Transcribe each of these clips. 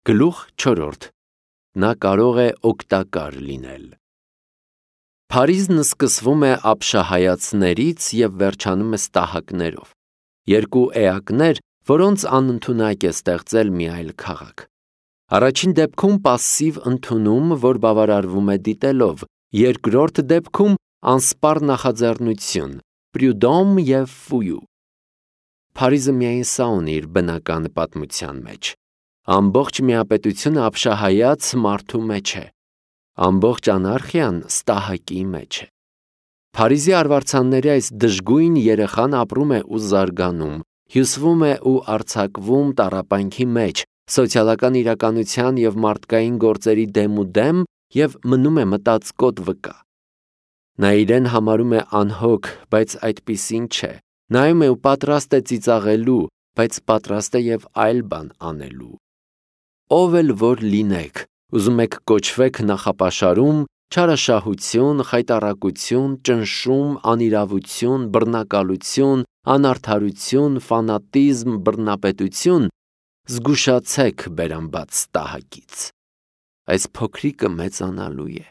Գլուխ 4. Նա կարող է օգտակար լինել։ Փարիզն սկսվում է ապշահայացներից և վերջանում է ստահակներով, երկու էակներ, որոնց անընդունակ է ստեղծել մի այլ քաղաք։ Առաջին դեպքում պասսիվ ընդունում, որ բավարարվում է դիտելով, երկրորդ դեպքում անսպառ նախաձեռնություն, պրյուդոմ և ֆույու։ Փարիզը միայն սա ունի իր բնական պատմության մեջ։ Ամբողջ միապետությունը ապշահայաց մարդու մեջ է, ամբողջ անարխիան ստահակի մեջ է։ Փարիզի արվարձանների այս դժգույն երեխան ապրում է ու զարգանում, հյուսվում է ու արձակվում տառապանքի մեջ, սոցիալական իրականության և մարդկային գործերի դեմուդեմ և մնում է մտածկոտ վկա։ Նա իրեն համարում է անհոգ, բայց այդպիսին չէ, նայում է ու պատրաստ է ծիծաղելու, բայց պատրաստ է և այլ բան անելու։ Ով էլ որ լինեք, ուզում եք կոչվեք նախապաշարում, չարաշահություն, խայտառակություն, ճնշում, անիրավություն, բռնակալություն, անարդարություն, ֆանատիզմ, բռնապետություն, զգուշացեք բերանբաց ստահակից։ Այս փոքրիկը մեծանալու է։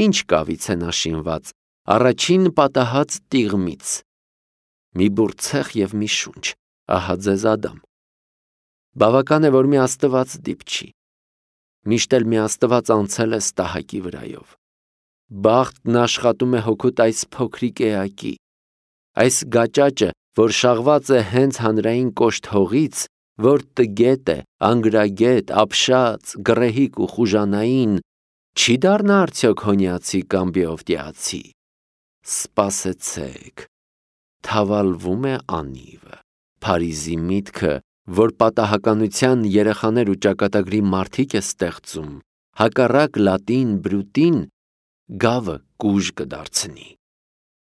Ինչ կավից է նա շինված, առաջին պատահած տիղմից։ Մի բուռ ցեխ և մի շունչ, ահա ձեզ Ադամ։ Բավական է, որ մի աստված դիպչի։ Միշտ էլ մի աստված անցել է ստահակի վրայով։ Բախտն աշխատում է հօգուտ այս փոքրիկ էակի։ Այս գաճաճը, որ շաղված է հենց հանրային կոշտ հողից, որ տգետ է, անգրագետ, ապշած, գռեհիկ ու խուժանային, չի դառնա արդյոք հոնիացի կամ բեովտեացի։ Սպասեցեք, թավալվում է անիվը։ Փարիզի միտքը, որ պատահականության երեխաներ ու ճակատագրի մարդիկ է ստեղծում, հակառակ լատին բրուտին, գավը կուժ կդարձնի։